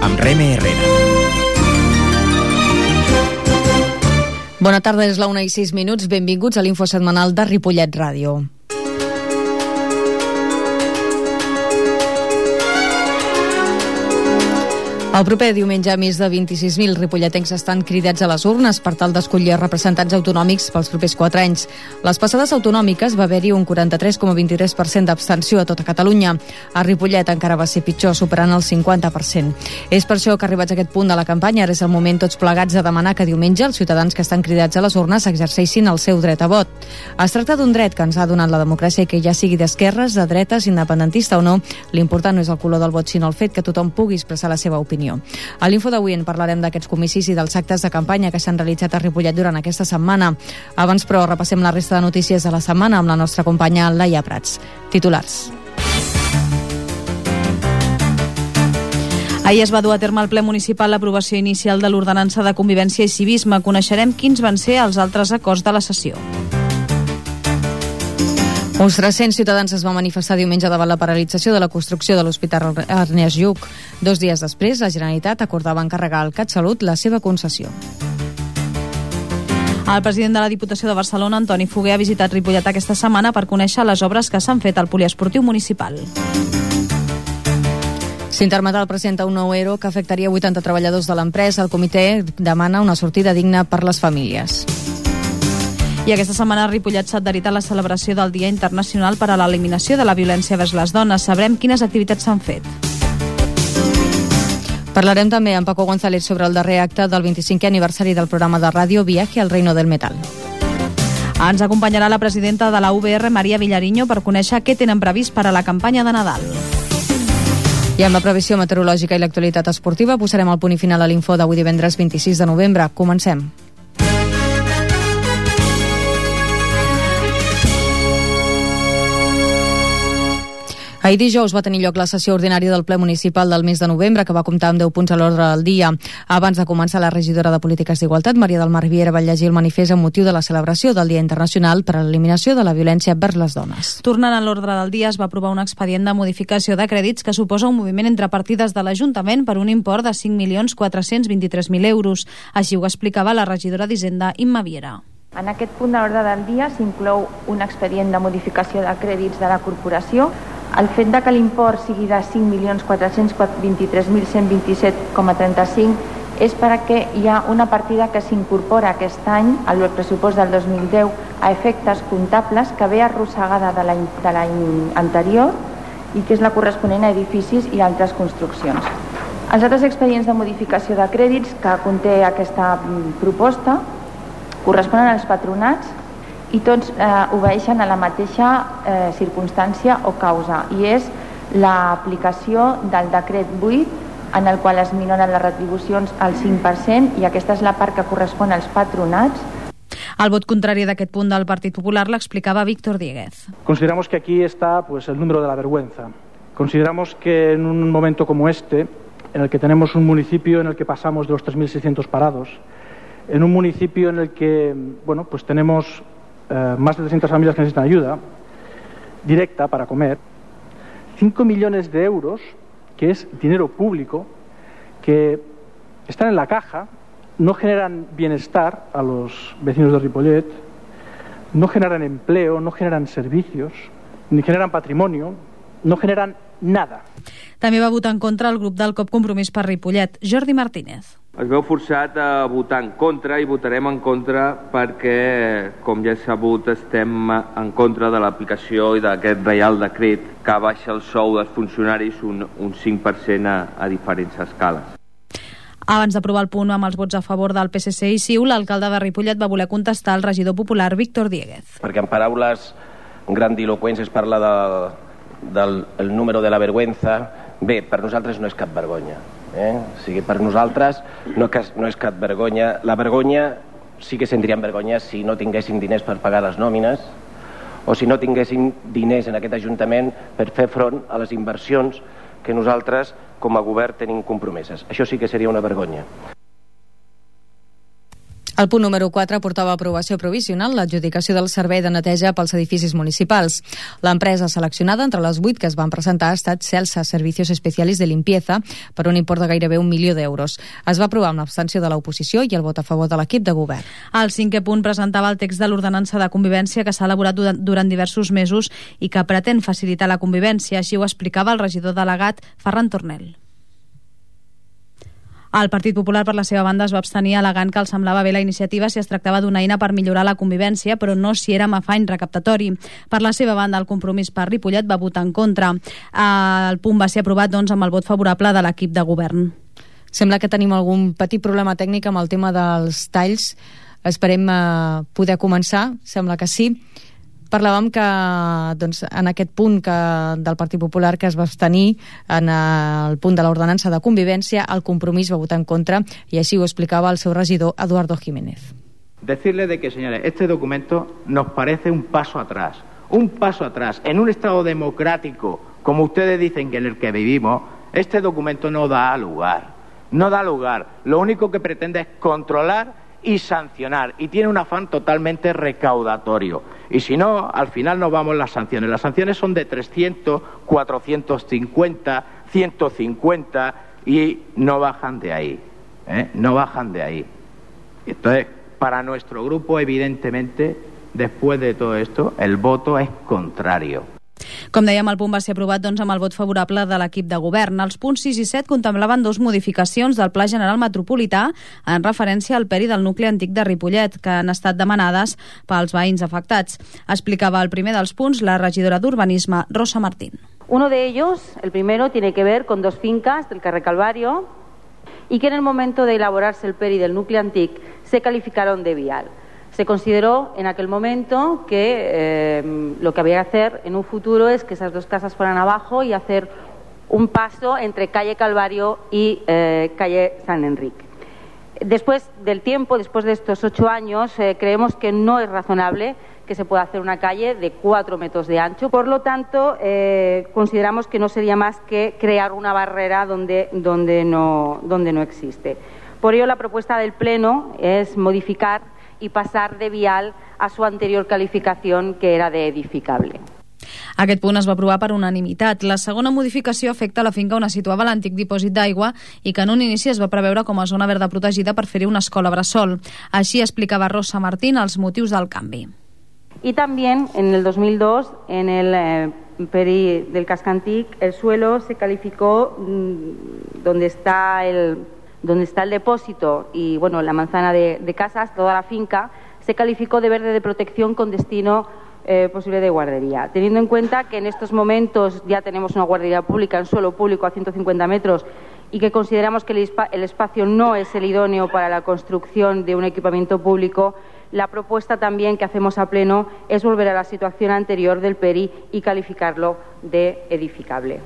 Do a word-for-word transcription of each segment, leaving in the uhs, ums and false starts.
amb Reme Herrera. Bona tarda, és la una i sis minuts. Benvinguts a l'info setmanal de Ripollet Ràdio. El proper diumenge, més de vint-i-sis mil ripolletens estan cridats a les urnes per tal d'escollir representants autonòmics pels propers quatre anys. Les passades autonòmiques va haver-hi un quaranta-tres coma vint-i-tres per cent d'abstenció a tota Catalunya. A Ripollet encara va ser pitjor, superant el cinquanta per cent. És per això que, arribats a aquest punt de la campanya, ara és el moment tots plegats de demanar que diumenge els ciutadans que estan cridats a les urnes exerceixin el seu dret a vot. Es tracta d'un dret que ens ha donat la democràcia i que ja sigui d'esquerres, de dretes, independentista o no, l'important no és el color del vot, sinó el fet que tothom pugui expressar la seva opinió. A l'info d'avui en parlarem d'aquests comicis i dels actes de campanya que s'han realitzat a Ripollet durant aquesta setmana. Abans, però, repassem la resta de notícies de la setmana amb la nostra companya Laia Prats. Titulars. Ahir es va dur a terme al ple municipal l'aprovació inicial de l'ordenança de convivència i civisme. Coneixerem quins van ser els altres acords de la sessió. Uns tres-cents ciutadans es van manifestar diumenge davant la paralització de la construcció de l'Hospital Ernest Lluch. Dos dies després, la Generalitat acordava encarregar al CatSalut la seva concessió. El president de la Diputació de Barcelona, Antoni Foguer, ha visitat Ripollet aquesta setmana per conèixer les obres que s'han fet al poliesportiu municipal. S'Intermetal presenta un nou ERO que afectaria vuitanta treballadors de l'empresa. El comitè demana una sortida digna per les famílies. I aquesta setmana a Ripollet s'ha adherit a la celebració del Dia Internacional per a l'Eliminació de la Violència vers les Dones. Sabrem quines activitats s'han fet. Parlarem també amb Paco González sobre el darrer acte del vint-i-cinquè aniversari del programa de ràdio Viaje al Reino del Metal. Ens acompanyarà la presidenta de la U B R, Maria Vilariño, per conèixer què tenen previst per a la campanya de Nadal. I amb la previsió meteorològica i l'actualitat esportiva posarem el punt i final a l'info d'avui divendres vint-i-sis de novembre. Comencem. Ahir dijous va tenir lloc la sessió ordinària del ple municipal del mes de novembre, que va comptar amb deu punts a l'ordre del dia. Abans de començar, la regidora de Polítiques d'Igualtat, Maria del Mar Riera, va llegir el manifest amb motiu de la celebració del Dia Internacional per a l'Eliminació de la Violència vers les Dones. Tornant a l'ordre del dia, es va aprovar un expedient de modificació de crèdits que suposa un moviment entre partides de l'Ajuntament per un import de cinc milions quatre-cents vint-i-tres mil euros. Així ho explicava la regidora d'Hisenda, Imma Viera. En aquest punt de l'ordre del dia s'inclou un expedient de modificació de crèdits de la corporació. El fet de que l'import sigui de cinc milions quatre-cents vint-i-tres mil cent vint-i-set coma trenta-cinc és perquè hi ha una partida que s'incorpora aquest any al pressupost del dos mil deu a efectes comptables que ve arrossegada de l'any de l'any anterior i que és la corresponent a edificis i altres construccions. Els altres expedients de modificació de crèdits que conté aquesta proposta corresponen als patronats i tots eh, obeeixen a la mateixa eh, circumstància o causa, i és l'aplicació del decret vuit, en el qual es minoren les retribucions al cinc per cent, i aquesta és la part que correspon als patronats. El vot contrari d'aquest punt del Partit Popular l'explicava Víctor Dieguez. Consideramos que aquí está pues, el número de la vergüenza. Consideramos que en un momento como este, en el que tenemos un municipio en el que pasamos de los tres mil seiscientos parados, en un municipio en el que bueno, pues tenemos eh, más de trescientas familias que necesitan ayuda directa para comer, cinco millones de euros, que es dinero público, que están en la caja, no generan bienestar a los vecinos de Ripollet, no generan empleo, no generan servicios, ni generan patrimonio, no generan nada. També va votar en contra el grup del C O P Compromís per Ripollet, Jordi Martínez. Es veu forçat a votar en contra i votarem en contra perquè, com ja s'ha sabut, estem en contra de l'aplicació i d'aquest reial decret que baixa el sou dels funcionaris un, un cinc per cent a, a diferents escales. Abans d'aprovar el punt amb els vots a favor del P S C i C I U, l'alcalde de Ripollet va voler contestar al regidor popular Víctor Dieguez. Perquè en paraules grandiloquents es parla de, del el número de la vergüenza. Bé, per nosaltres no és cap vergonya. Eh? O sigui, per nosaltres no, no és cap vergonya. La vergonya sí que sentiríem vergonya si no tinguéssim diners per pagar les nòmines o si no tinguéssim diners en aquest Ajuntament per fer front a les inversions que nosaltres com a govern tenim compromeses. Això sí que seria una vergonya. El punt número quatre portava a aprovació provisional l'adjudicació del servei de neteja pels edificis municipals. L'empresa seleccionada entre les vuit que es van presentar ha estat Celsa Servicios Especiales de Limpieza per un import de gairebé un milió d'euros. Es va aprovar amb l'abstenció de l'oposició i el vot a favor de l'equip de govern. El cinquè punt presentava el text de l'ordenança de convivència que s'ha elaborat durant diversos mesos i que pretén facilitar la convivència. Així ho explicava el regidor delegat Ferran Tornel. El Partit Popular, per la seva banda, es va abstenir alegant que els semblava bé la iniciativa si es tractava d'una eina per millorar la convivència, però no si era amb afany recaptatori. Per la seva banda, el Compromís per Ripollet va votar en contra. El punt va ser aprovat, doncs, amb el vot favorable de l'equip de govern. Sembla que tenim algun petit problema tècnic amb el tema dels talls. Esperem eh, poder començar, sembla que sí. Parlàvem que doncs, en aquest punt que, del Partit Popular que es va abstenir en el punt de l'ordenança de convivència, el Compromís va votar en contra i així ho explicava el seu regidor Eduardo Jiménez. Decirle de que, señores, este documento nos parece un paso atrás, un paso atrás. En un Estado democrático, como ustedes dicen que en el que vivimos, este documento no da lugar, no da lugar. Lo único que pretende es controlar y sancionar, y tiene un afán totalmente recaudatorio. Y si no, al final nos vamos las sanciones. Las sanciones son de trescientos, cuatrocientos cincuenta, ciento cincuenta y no bajan de ahí, ¿eh? No bajan de ahí. Entonces, para nuestro grupo, evidentemente, después de todo esto, el voto es contrario. Com dèiem, el punt va ser aprovat doncs, amb el vot favorable de l'equip de govern. Els punts sis i set contemplaven dos modificacions del Pla General Metropolità en referència al peri del nucli antic de Ripollet, que han estat demanades pels veïns afectats. Explicava el primer dels punts la regidora d'Urbanisme, Rosa Martín. Uno de ellos, el primero, tiene que ver con dos fincas del Carrer Calvario y que en el momento de elaborarse el peri del núcleo antic se calificaron de vial. Se consideró en aquel momento que eh, lo que había que hacer en un futuro es que esas dos casas fueran abajo y hacer un paso entre calle Calvario y eh, calle San Enrique. Después del tiempo, después de estos ocho años, eh, creemos que no es razonable que se pueda hacer una calle de cuatro metros de ancho. Por lo tanto, eh, consideramos que no sería más que crear una barrera donde, donde, no, donde no existe. Por ello, la propuesta del Pleno es modificar y pasar de vial a su anterior calificación, que era de edificable. Aquest punt es va aprovar per unanimitat. La segona modificació afecta la finca on es situava l'antic dipòsit d'aigua i que en un inici es va preveure com a zona verda protegida per fer-hi una escola bressol. Així explicava Rosa Martín els motius del canvi. Y también en el dos mil dos, en el eh, peri del casco antic, el suelo se calificó mmm, donde está el donde está el depósito y bueno, la manzana de, de casas, toda la finca, se calificó de verde de protección con destino eh, posible de guardería. Teniendo en cuenta que en estos momentos ya tenemos una guardería pública en suelo público a ciento cincuenta metros y que consideramos que el, el espacio no es el idóneo para la construcción de un equipamiento público, la propuesta también que hacemos a pleno es volver a la situación anterior del peri y calificarlo de edificable.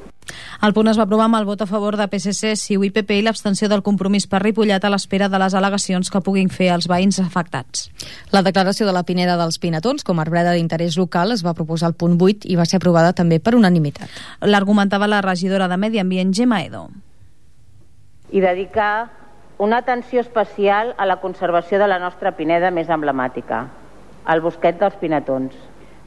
El punt es va aprovar amb el vot a favor de P S C, C I U i P P i l'abstenció del Compromís per Ripollet a l'espera de les al·legacions que puguin fer els veïns afectats. La declaració de la Pineda dels Pinatons com a arbreda d'interès local es va proposar al punt vuit i va ser aprovada també per unanimitat. L'argumentava la regidora de Medi Ambient, Gemma Edo. I dedicar una atenció especial a la conservació de la nostra pineda més emblemàtica, el Bosquet dels Pinatons,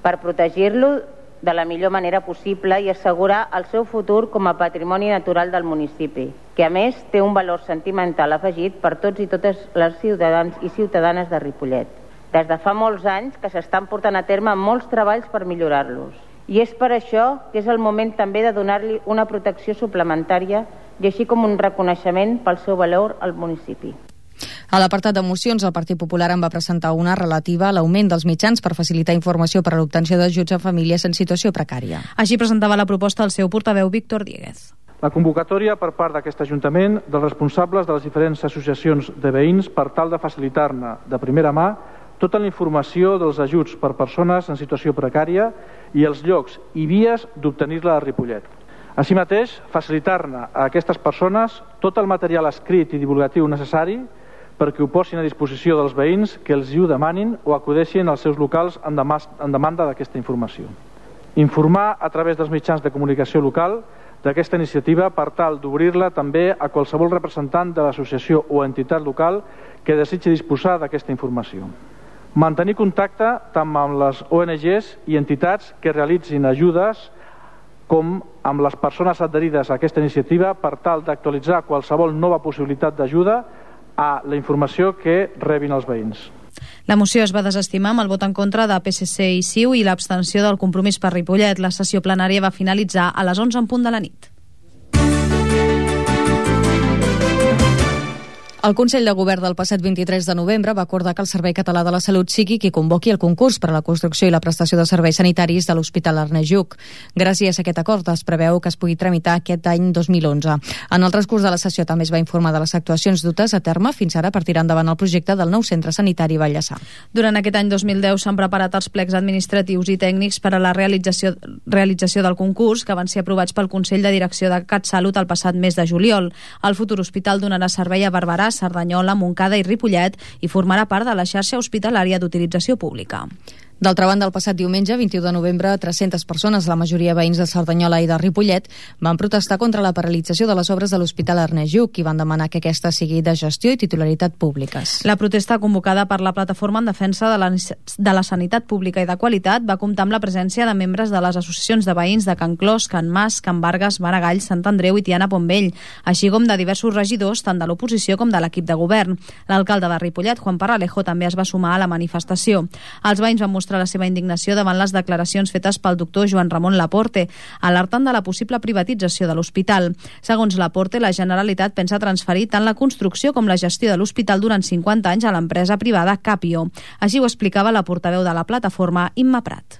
per protegir-lo de la millor manera possible i assegurar el seu futur com a patrimoni natural del municipi, que a més té un valor sentimental afegit per tots i totes les ciutadans i ciutadanes de Ripollet. Des de fa molts anys que s'estan portant a terme molts treballs per millorar-los. I és per això que és el moment també de donar-li una protecció suplementària i així com un reconeixement pel seu valor al municipi. A l'apartat de mocions, el Partit Popular en va presentar una relativa a l'augment dels mitjans per facilitar informació per a l'obtenció d'ajuts a famílies en situació precària. Així presentava la proposta el seu portaveu Víctor Dieguez. La convocatòria per part d'aquest Ajuntament dels responsables de les diferents associacions de veïns per tal de facilitar-ne de primera mà tota la informació dels ajuts per persones en situació precària i els llocs i vies d'obtenir-la a Ripollet. Així mateix, facilitar-ne a aquestes persones tot el material escrit i divulgatiu necessari perquè ho posin a disposició dels veïns que els hi ho demanin o acudeixin als seus locals en demanda d'aquesta informació. Informar a través dels mitjans de comunicació local d'aquesta iniciativa per tal d'obrir-la també a qualsevol representant de l'associació o entitat local que desitgi disposar d'aquesta informació. Mantenir contacte tant amb les O N Ges i entitats que realitzin ajudes com amb les persones adherides a aquesta iniciativa per tal d'actualitzar qualsevol nova possibilitat d'ajuda a la informació que rebin els veïns. La moció es va desestimar amb el vot en contra de P S C i C I U i l'abstenció del Compromís per Ripollet. La sessió plenària va finalitzar a les onze en punt de la nit. El Consell de Govern del passat vint-i-tres de novembre va acordar que el Servei Català de la Salut sigui qui convoqui el concurs per a la construcció i la prestació de serveis sanitaris de l'Hospital Ernest Lluch. Gràcies a aquest acord es preveu que es pugui tramitar aquest any dos mil onze. En el transcurs de la sessió també es va informar de les actuacions dutes a terme fins ara per tirar endavant el projecte del nou centre sanitari Vallèsar. Durant aquest any dos mil deu s'han preparat els plecs administratius i tècnics per a la realització, realització del concurs que van ser aprovats pel Consell de Direcció de CatSalut el passat mes de juliol. El futur hospital donarà servei a Barberà, Cerdanyola, Montcada i Ripollet i formarà part de la xarxa hospitalària d'utilització pública. D'altra banda, el passat diumenge, vint-i-u de novembre, tres-centes persones, la majoria veïns de Cerdanyola i de Ripollet, van protestar contra la paralització de les obres de l'Hospital Ernest Lluch i van demanar que aquesta sigui de gestió i titularitat públiques. La protesta convocada per la Plataforma en Defensa de la, de la Sanitat Pública i de Qualitat va comptar amb la presència de membres de les associacions de veïns de Can Clos, Can Mas, Can Vargas, Maragall, Sant Andreu i Tiana Pombell, així com de diversos regidors, tant de l'oposició com de l'equip de govern. L'alcalde de Ripollet, Juan Parralejo, també es va sumar a la manifestació. Els veïns van mostrar la seva indignació davant les declaracions fetes pel doctor Joan Ramon Laporte, alertant de la possible privatització de l'hospital. Segons Laporte, la Generalitat pensa transferir tant la construcció com la gestió de l'hospital durant cinquanta anys a l'empresa privada Capio. Així ho explicava la portaveu de la plataforma, Imma Prat.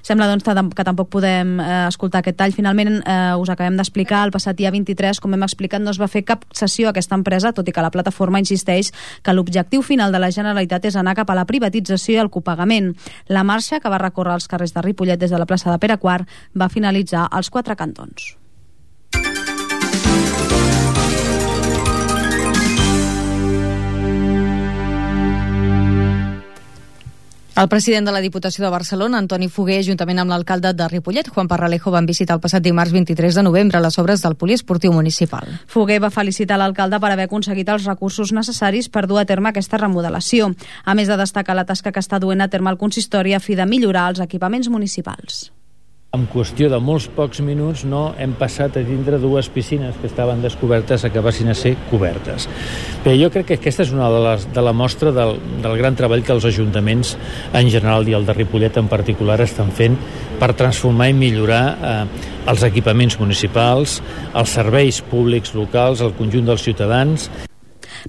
Sembla doncs, que tampoc podem eh, escoltar aquest tall. Finalment, eh, us acabem d'explicar, el passat dia vint-i-tres, com hem explicat, no es va fer cap cessió a aquesta empresa, tot i que la plataforma insisteix que l'objectiu final de la Generalitat és anar cap a la privatització i el copagament. La marxa, que va recórrer els carrers de Ripollet des de la plaça de Pere quart, va finalitzar als quatre cantons. El president de la Diputació de Barcelona, Antoni Foguer, juntament amb l'alcalde de Ripollet, Juan Parralejo, van visitar el passat dimarts vint-i-tres de novembre les obres del poliesportiu municipal. Foguer va felicitar l'alcalde per haver aconseguit els recursos necessaris per dur a terme aquesta remodelació, a més de destacar la tasca que està duent a terme el consistori a fi de millorar els equipaments municipals. En qüestió de molts pocs minuts no hem passat a tindre dues piscines que estaven descobertes a que passin a ser cobertes. Però jo crec que aquesta és una de, les, de la mostra del, del gran treball que els ajuntaments en general i el de Ripollet en particular estan fent per transformar i millorar eh, els equipaments municipals, els serveis públics locals, el conjunt dels ciutadans.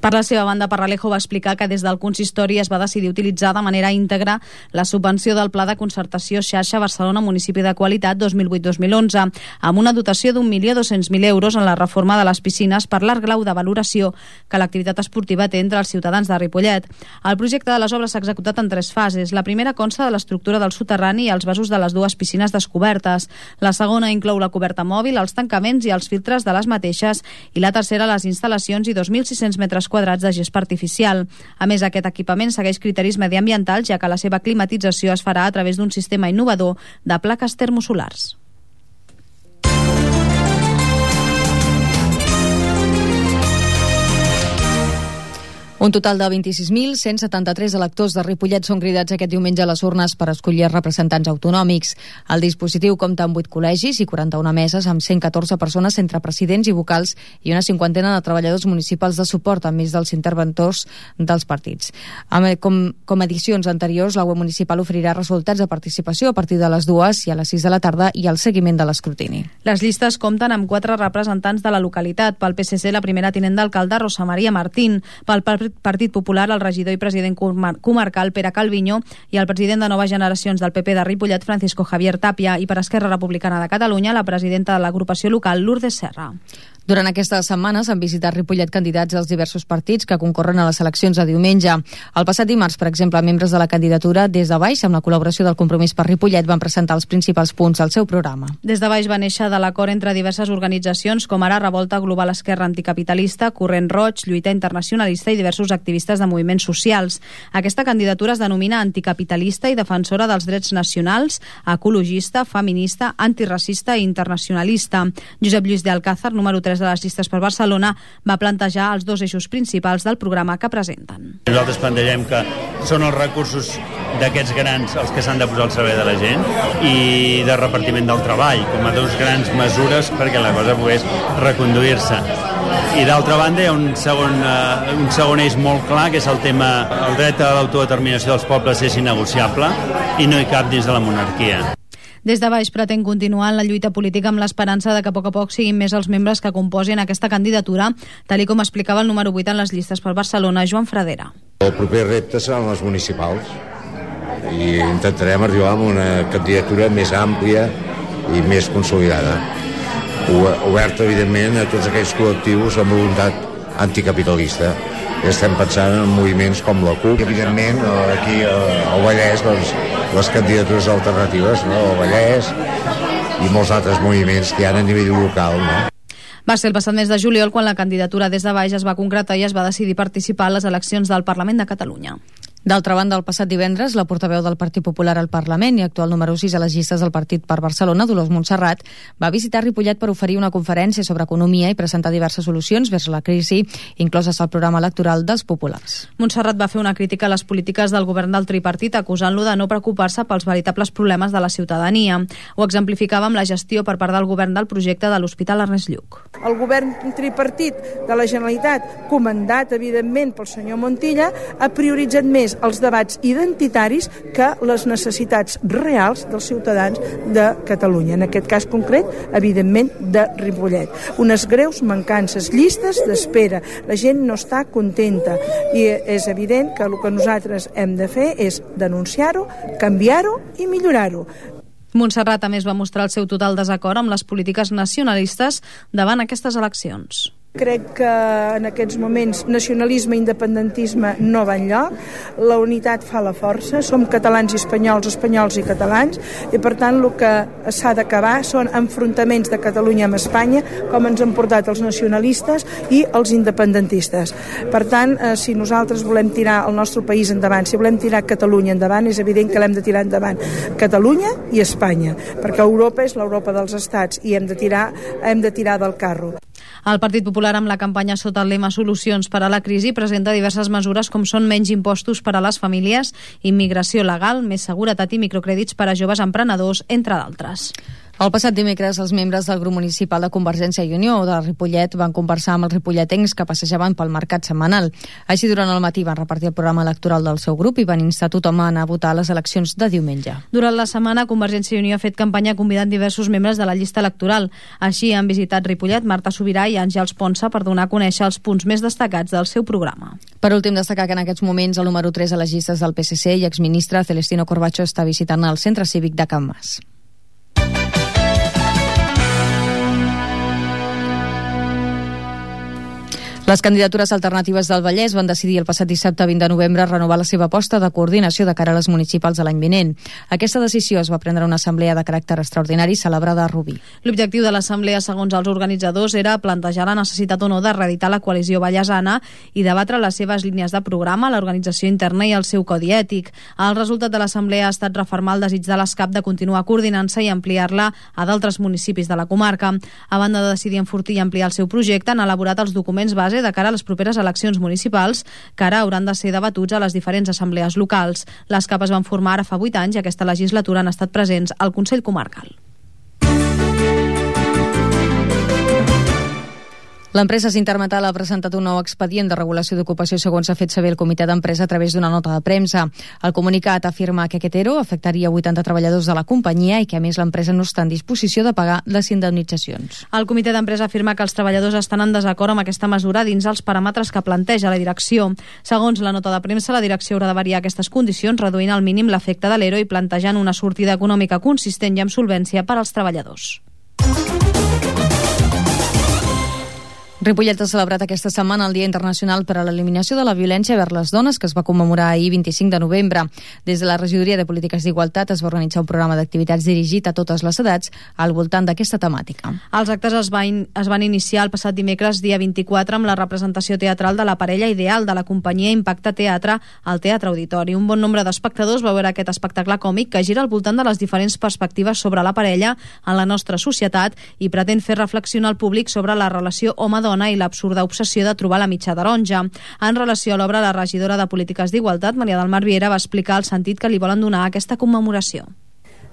Per la seva banda, Parralejo va explicar que des del consistori es va decidir utilitzar de manera íntegra la subvenció del Pla de Concertació Xarxa Barcelona Municipi de Qualitat dos mil vuit dos mil onze, amb una dotació d'un milió dos-cents mil euros en la reforma de les piscines per l'alt grau de valoració que l'activitat esportiva té entre els ciutadans de Ripollet. El projecte de les obres s'ha executat en tres fases. La primera consta de l'estructura del soterrani i els vasos de les dues piscines descobertes. La segona inclou la coberta mòbil, els tancaments i els filtres de les mateixes, i la tercera les instal·lacions i dos mil sis-cents metres quadrats de gespa artificial. A més, aquest equipament segueix criteris mediambientals, ja que la seva climatització es farà a través d'un sistema innovador de plaques termosolars. Un total de vint-i-sis mil cent setanta-tres electors de Ripollet són cridats aquest diumenge a les urnes per escollir representants autonòmics. El dispositiu compta amb vuit col·legis i quaranta-una meses amb cent catorze persones entre presidents i vocals i una cinquantena de treballadors municipals de suport, a més dels interventors dels partits. Com, com edicions anteriors, la web municipal oferirà resultats de participació a partir de les dues i a les sis de la tarda i el seguiment de l'escrutini. Les llistes compten amb quatre representants de la localitat. Pel P S C, la primera tinent d'alcalde, Rosa Maria Martín. Pel Partit Popular, el regidor i president comarcal Pere Calviño, i el president de Noves Generacions del P P de Ripollet, Francisco Javier Tapia, i per Esquerra Republicana de Catalunya, la presidenta de l'agrupació local, Lourdes Serra. Durant aquestes setmanes han visitat Ripollet candidats dels diversos partits que concorren a les eleccions de diumenge. El passat dimarts, per exemple, membres de la candidatura Des de Baix, amb la col·laboració del Compromís per Ripollet, van presentar els principals punts del seu programa. Des de Baix va néixer de l'acord entre diverses organitzacions com ara Revolta Global Esquerra Anticapitalista, Corrent Roig, Lluita Internacionalista i diversos activistes de moviments socials. Aquesta candidatura es denomina anticapitalista i defensora dels drets nacionals, ecologista, feminista, antiracista i internacionalista. Josep Lluís de Alcázar, número tres de les llistes per Barcelona, va plantejar els dos eixos principals del programa que presenten. Nosaltres plantegem que són els recursos d'aquests grans els que s'han de posar al servei de la gent i de repartiment del treball, com a dos grans mesures perquè la cosa pogués reconduir-se. I d'altra banda hi ha un segon, uh, un segon eix molt clar, que és el tema el dret a l'autodeterminació dels pobles és innegociable i no hi cap dins de la monarquia. Des de Baix pretén continuar en la lluita política amb l'esperança de que a poc a poc siguin més els membres que composin aquesta candidatura, tal i com explicava el número vuit en les llistes per Barcelona, Joan Fradera. El proper repte seran les municipals i intentarem arribar a una candidatura més àmplia i més consolidada, oberta, evidentment, a tots aquells col·lectius amb voluntat anticapitalista. Estem pensant en moviments com la C U P, evidentment, aquí al Vallès, doncs, les candidatures alternatives, no? El Vallès i molts altres moviments que hi ha a nivell local, no? Va ser el passat mes de juliol quan la candidatura Des de Baix es va concretar i es va decidir participar a les eleccions del Parlament de Catalunya. D'altra banda, el passat divendres, la portaveu del Partit Popular al Parlament i actual número sis a les llistes del Partit per Barcelona, Dolors Montserrat, va visitar Ripollet per oferir una conferència sobre economia i presentar diverses solucions vers la crisi, incloses al programa electoral dels populars. Montserrat va fer una crítica a les polítiques del govern del tripartit, acusant-lo de no preocupar-se pels veritables problemes de la ciutadania. Ho exemplificava amb la gestió per part del govern del projecte de l'Hospital Ernest Lluch. El govern tripartit de la Generalitat, comandat, evidentment, pel senyor Montilla, ha prioritzat més els debats identitaris que les necessitats reals dels ciutadans de Catalunya. En aquest cas concret, evidentment, de Ripollet. Unes greus mancances, llistes d'espera. La gent no està contenta i és evident que el que nosaltres hem de fer és denunciar-ho, canviar-ho i millorar-ho. Montserrat, a més, va mostrar el seu total desacord amb les polítiques nacionalistes davant aquestes eleccions. Crec que en aquests moments nacionalisme i independentisme no va enlloc, la unitat fa la força, som catalans i espanyols, espanyols i catalans, i per tant el que s'ha d'acabar són enfrontaments de Catalunya amb Espanya, com ens han portat els nacionalistes i els independentistes. Per tant, eh, si nosaltres volem tirar el nostre país endavant, si volem tirar Catalunya endavant, és evident que l'hem de tirar endavant Catalunya i Espanya, perquè Europa és l'Europa dels estats i hem de tirar, hem de tirar del carro. El Partit Popular, amb la campanya sota el lema Solucions per a la crisi, presenta diverses mesures com són menys impostos per a les famílies, immigració legal, més seguretat i microcrèdits per a joves emprenedors, entre d'altres. El passat dimecres, els membres del grup municipal de Convergència i Unió de Ripollet van conversar amb els ripolletens que passejaven pel mercat setmanal. Així, durant el matí van repartir el programa electoral del seu grup i van instar tothom a anar a votar a les eleccions de diumenge. Durant la setmana, Convergència i Unió ha fet campanya convidant diversos membres de la llista electoral. Així, han visitat Ripollet Marta Subirà i Àngels Ponsa per donar a conèixer els punts més destacats del seu programa. Per últim, destacar que en aquests moments el número tres a les llistes del P S C i exministre Celestino Corbacho està visitant el centre cívic de Can Mas. Les candidatures alternatives del Vallès van decidir el passat dissabte vint de novembre renovar la seva aposta de coordinació de cara a les municipals de l'any vinent. Aquesta decisió es va prendre en una assemblea de caràcter extraordinari celebrada a Rubí. L'objectiu de l'assemblea, segons els organitzadors, era plantejar la necessitat o no de reeditar la coalició vallesana i debatre les seves línies de programa, l'organització interna i el seu codi ètic. El resultat de l'assemblea ha estat refermar el desig de l'ESCAP de continuar coordinant-se i ampliar-la a d'altres municipis de la comarca. A banda de decidir enfortir i ampliar el seu projecte, han elaborat els documents base de cara a les properes eleccions municipals, que ara hauran de ser debatuts a les diferents assemblees locals. Les CAP es van formar ara fa vuit anys i aquesta legislatura han estat presents al Consell Comarcal. L'empresa Sintermetal ha presentat un nou expedient de regulació d'ocupació, segons ha fet saber el comitè d'empresa a través d'una nota de premsa. El comunicat afirma que aquest ERO afectaria vuitanta treballadors de la companyia i que, a més, l'empresa no està en disposició de pagar les indemnitzacions. El comitè d'empresa afirma que els treballadors estan en desacord amb aquesta mesura dins els paràmetres que planteja la direcció. Segons la nota de premsa, la direcció haurà de variar aquestes condicions, reduint al mínim l'efecte de l'ERO i plantejant una sortida econòmica consistent i amb solvència per als treballadors. Ripollet ha celebrat aquesta setmana el Dia Internacional per a l'Eliminació de la Violència vers les Dones, que es va commemorar ahir vint-i-cinc de novembre. Des de la Regidoria de Polítiques d'Igualtat es va organitzar un programa d'activitats dirigit a totes les edats al voltant d'aquesta temàtica. Els actes es van, es van iniciar el passat dimecres, dia vint-i-quatre, amb la representació teatral de la parella ideal de la companyia Impacte Teatre al Teatre Auditori. Un bon nombre d'espectadors va veure aquest espectacle còmic que gira al voltant de les diferents perspectives sobre la parella en la nostra societat i pretén fer reflexionar el públic sobre la relació home-dona i l'absurda obsessió de trobar la mitja taronja. En relació a l'obra, la regidora de Polítiques d'Igualtat, Maria del Mar Viera, va explicar el sentit que li volen donar a aquesta commemoració.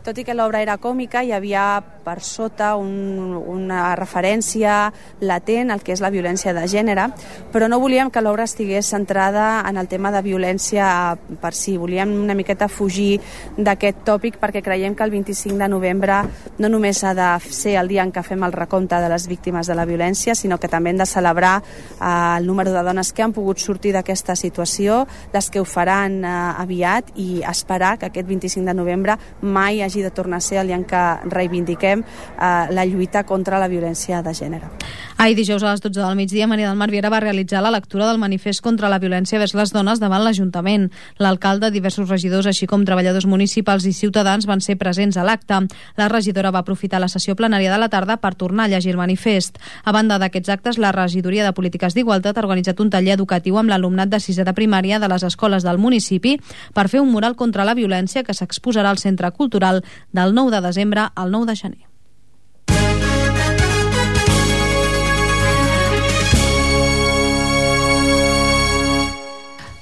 Tot i que l'obra era còmica, hi havia per sota un, una referència latent al que és la violència de gènere, però no volíem que l'obra estigués centrada en el tema de violència per si. Volíem una miqueta fugir d'aquest tòpic perquè creiem que el vint-i-cinc de novembre no només ha de ser el dia en què fem el recompte de les víctimes de la violència, sinó que també hem de celebrar eh, el número de dones que han pogut sortir d'aquesta situació, les que ho faran eh, aviat, i esperar que aquest vint-i-cinc de novembre mai hagi de tornar a ser el dia en què reivindiquem eh, la lluita contra la violència de gènere. Ahir dijous a les dotze del migdia, Maria del Mar Viera va realitzar la lectura del manifest contra la violència vers les dones davant l'Ajuntament. L'alcalde, diversos regidors, així com treballadors municipals i ciutadans van ser presents a l'acte. La regidora va aprofitar la sessió plenària de la tarda per tornar a llegir el manifest. A banda d'aquests actes, la Regidoria de Polítiques d'Igualtat ha organitzat un taller educatiu amb l'alumnat de sisè de primària de les escoles del municipi per fer un mural contra la violència que s'exposarà al Centre Cultural del nou de desembre al nou de gener.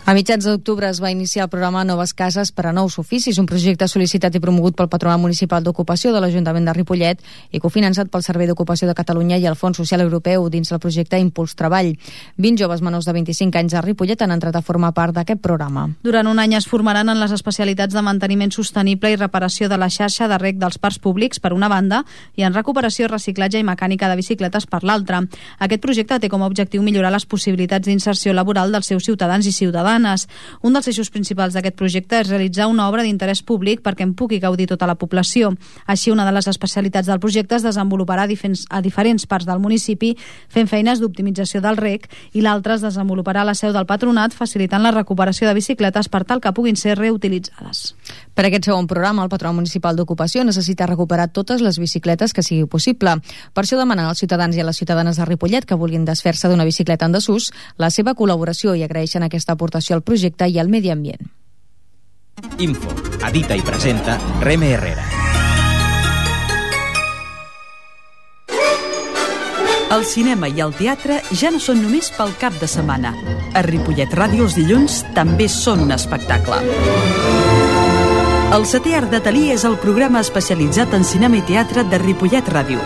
A mitjans d'octubre es va iniciar el programa Noves Cases per a Nous Oficis, un projecte sol·licitat i promogut pel Patronat Municipal d'Ocupació de l'Ajuntament de Ripollet i cofinançat pel Servei d'Ocupació de Catalunya i el Fons Social Europeu dins del projecte Impuls Treball. vint joves menors de vint-i-cinc anys a Ripollet han entrat a formar part d'aquest programa. Durant un any es formaran en les especialitats de manteniment sostenible i reparació de la xarxa de reg dels parcs públics per una banda i en recuperació, reciclatge i mecànica de bicicletes per l'altra. Aquest projecte té com a objectiu millorar les possibilitats d'inserció laboral dels seus ciutadans i ciutadanes. Un dels eixos principals d'aquest projecte és realitzar una obra d'interès públic perquè en pugui gaudir tota la població. Així, una de les especialitats del projecte es desenvoluparà a, diferents, a diferents parts del municipi fent feines d'optimització del reg i l'altra es desenvoluparà a la seu del patronat facilitant la recuperació de bicicletes per tal que puguin ser reutilitzades. Per aquest segon programa, el Patronat Municipal d'Ocupació necessita recuperar totes les bicicletes que sigui possible. Per això demanen als ciutadans i a les ciutadanes de Ripollet que vulguin desfer-se d'una bicicleta en desús la seva col·laboració i agraeixen aquesta aportació al projecte i al medi ambient. Info, edita i presenta Reme Herrera. El cinema i el teatre ja no són només pel cap de setmana. A Ripollet Ràdio els dilluns també són un espectacle. El Setè Art d'Atelier és el programa especialitzat en cinema i teatre de Ripollet Ràdio.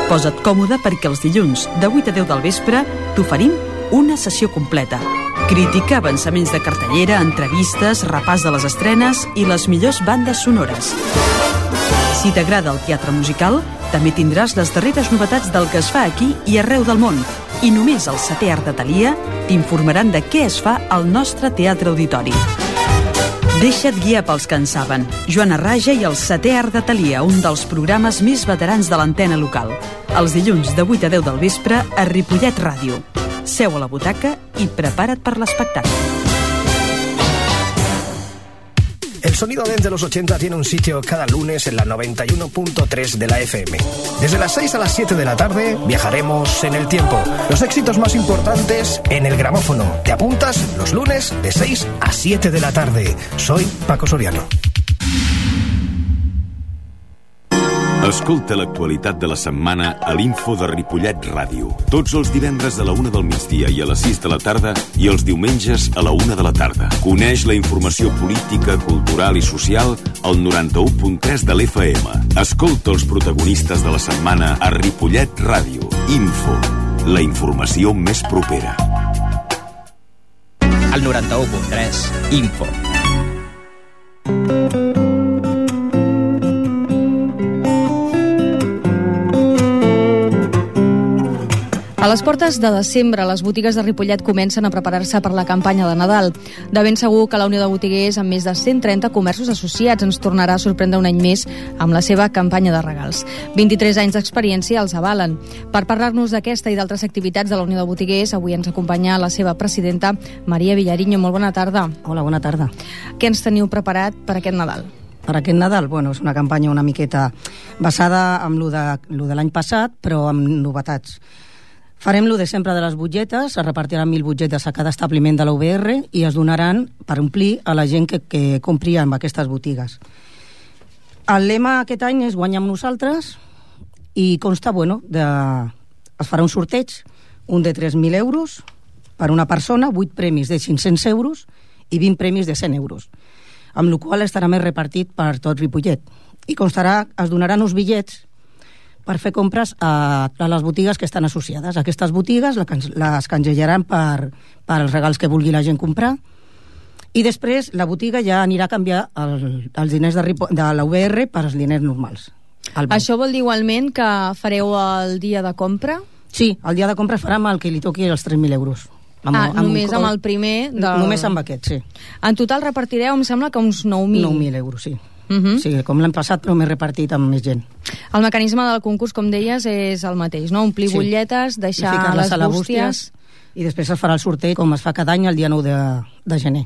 Posa't còmode perquè els dilluns de vuit a deu del vespre t'oferim una sessió completa. Crítica, avançaments de cartellera, entrevistes, repàs de les estrenes i les millors bandes sonores. Si t'agrada el teatre musical, també tindràs les darreres novetats del que es fa aquí i arreu del món. I només al Setè Art d'Atelier t'informaran de què es fa al nostre Teatre Auditori. Deixa't guiar pels que en saben. Joana Raja i el Setè Art d'Atelier, un dels programes més veterans de l'antena local. Els dilluns de vuit a deu del vespre a Ripollet Ràdio. Seu a la butaca y prepara't per l'espectacle. El sonido dance de los ochenta tiene un sitio cada lunes en la noventa y uno punto tres de la F M. Desde las seis a las siete de la tarde viajaremos en el tiempo. Los éxitos más importantes en el gramófono. ¿Te apuntas? Los lunes de seis a siete de la tarde. Soy Paco Soriano. Escolta l'actualitat de la setmana a l'Info de Ripollet Ràdio. Tots els divendres a la una del migdia i a les sis de la tarda i els diumenges a la una de la tarda. Coneix la informació política, cultural i social al noranta-u punt tres de l'F M. Escolta els protagonistes de la setmana a Ripollet Ràdio. Info, la informació més propera. Al noranta-u punt tres, Info. A les portes de desembre, les botigues de Ripollet comencen a preparar-se per la campanya de Nadal. De ben segur que la Unió de Botiguers, amb més de cent trenta comerços associats, ens tornarà a sorprendre un any més amb la seva campanya de regals. vint-i-tres anys d'experiència els avalen. Per parlar-nos d'aquesta i d'altres activitats de la Unió de Botiguers, avui ens acompanya la seva presidenta, Maria Vilariño. Molt bona tarda. Hola, bona tarda. Què ens teniu preparat per aquest Nadal? Per aquest Nadal, bueno, és una campanya una miqueta basada en lo de, lo de l'any passat, però amb novetats. Farem lo de sempre de les butlletes, es repartiran mil butlletes a cada establiment de la U B R i es donaran per omplir a la gent que, que compri en aquestes botigues. El lema aquest any és guanyar amb nosaltres i consta, bueno, de... es farà un sorteig, un de tres mil euros per una persona, vuit premis de cinc-cents euros i vint premis de cent euros, amb la qual estarà més repartit per tot Ripollet. I constarà, es donaran uns bitllets per fer compres a, a les botigues que estan associades. Aquestes botigues les canjellaran per, per els regals que vulgui la gent comprar i després la botiga ja anirà a canviar el, els diners de, de la U B R per als diners normals. Això vol dir igualment que fareu el dia de compra? Sí, el dia de compra farà amb el que li toqui els tres mil euros. Amb, ah, amb només un... amb el primer? Del... Només amb aquest, sí. En total repartireu, em sembla que uns nou mil. nou mil euros, sí. Uh -huh. Sí, com l'any passat, però m'he repartit amb més gent. El mecanisme del concurs, com deies, és el mateix, no? Omplir sí. butlletes, deixar les bústies... I després es farà el sorteig, com es fa cada any, el dia nou de, de gener.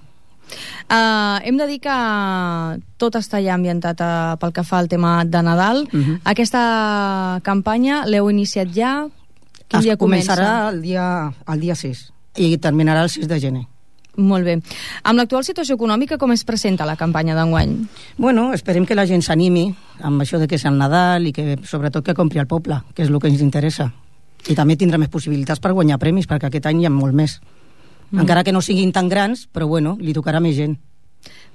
Uh, hem de dir que tot està ja ambientat uh, pel que fa al tema de Nadal. Uh -huh. Aquesta campanya l'heu iniciat ja? Quin es dia comença? Començarà el dia, el dia sis i terminarà el sis de gener. Molt bé. Amb l'actual situació econòmica, com es presenta la campanya d'enguany? Bueno, esperem que la gent s'animi amb això de que és el Nadal i que sobretot que compri al poble, que és el que ens interessa. I també tindrà més possibilitats per guanyar premis, perquè aquest any hi ha molt més. Mm. Encara que no siguin tan grans, però bueno, li tocarà més gent.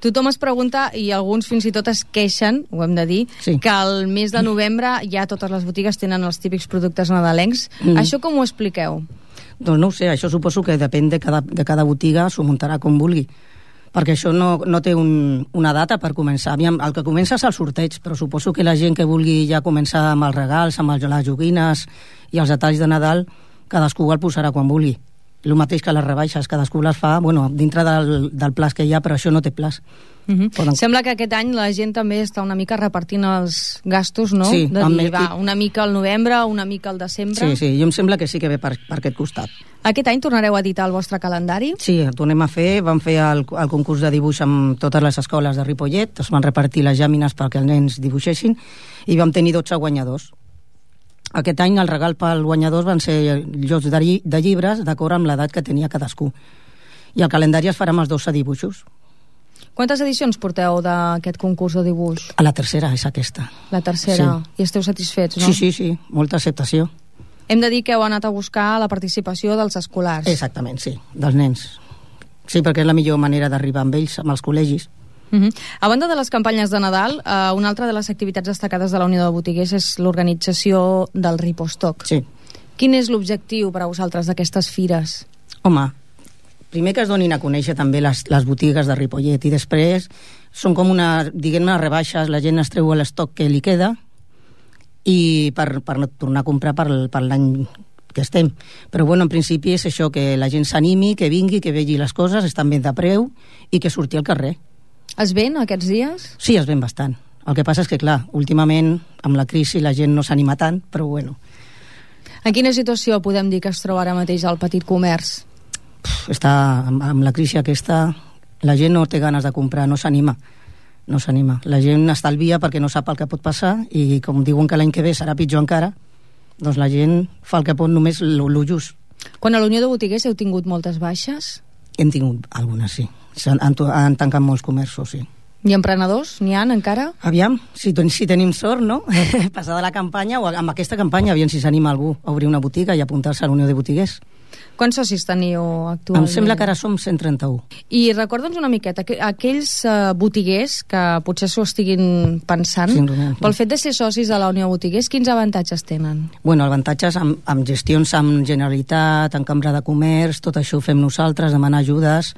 Tothom es pregunta, i alguns fins i tot es queixen, ho hem de dir, sí. que al mes de novembre ja totes les botigues tenen els típics productes nadalencs. Mm. Això com ho expliqueu? Doncs no ho sé, això suposo que depèn de cada, de cada botiga, s'ho muntarà com vulgui, perquè això no, no té un, una data per començar. Aviam, el que comença és el sorteig, però suposo que la gent que vulgui ja començar amb els regals, amb les joguines i els detalls de Nadal, cadascú el posarà quan vulgui. El mateix que les rebaixes, cadascú les fa, bueno, dintre del, del plaç que hi ha, però això no té plaç. Uh-huh. Poden... Sembla que aquest any la gent també està una mica repartint els gastos, no? Sí, de dir, va, una mica al novembre, una mica al desembre. Sí, sí, jo em sembla que sí que ve per, per aquest costat. Aquest any tornareu a editar el vostre calendari? Sí, el tornem a fer, vam fer el, el concurs de dibuix amb totes les escoles de Ripollet, es van repartir les làmines perquè els nens dibuixessin i vam tenir dotze guanyadors. Aquest any el regal pel guanyadors van ser llocs de, lli de llibres d'acord amb l'edat que tenia cadascú. I el calendari es farà amb els dotze dibuixos. Quantes edicions porteu d'aquest concurs de dibuix? A la tercera, és aquesta. La tercera. Sí. I esteu satisfets, no? Sí, sí, sí. Molta acceptació. Hem de dir que heu anat a buscar la participació dels escolars. Exactament, sí. Dels nens. Sí, perquè és la millor manera d'arribar amb ells, amb els col·legis. Uh -huh. A banda de les campanyes de Nadal, eh, una altra de les activitats destacades de la Unió de Botiguers és l'organització del Ripostock. Sí. Quin és l'objectiu per a vosaltres d'aquestes fires? Home, primer que es donin a conèixer també les, les botigues de Ripollet i després són com una, diguem-ne, rebaixes, la gent es treu l'estoc que li queda i per, per tornar a comprar per, per l'any que estem. Però bueno, en principi és això, que la gent s'animi, que vingui, que vegi les coses, estan ben de preu i que surti al carrer. Es ven aquests dies? Sí, es ven bastant. El que passa és que, clar, últimament, amb la crisi, la gent no s'anima tant, però bueno. En quina situació podem dir que es troba ara mateix el petit comerç? Pff, està, amb, amb la crisi aquesta, la gent no té ganes de comprar, no s'anima. No s'anima. La gent estalvia perquè no sap el que pot passar i, com diuen que l'any que ve serà pitjor encara, doncs la gent fa el que pot només lo just. Quan a la Unió de Botiguers heu tingut moltes baixes? Hem tingut algunes, sí. Han, han, han tancat molts comerços, sí. I emprenedors? N'hi ha encara? Aviam, si, si tenim sort, no? Passada la campanya, o amb aquesta campanya, aviam si s'anima algú a obrir una botiga i apuntar-se a la Unió de Botiguers. Quants socis teniu actualment? Em sembla que ara som cent trenta-u. I recorda'ns una miqueta, aquells uh, botiguers que potser s'ho estiguin pensant, sí, pel fet de ser socis de la Unió de Botiguers, quins avantatges tenen? Bueno, avantatges amb, amb gestions amb Generalitat, amb Cambra de Comerç, tot això ho fem nosaltres, demanar ajudes.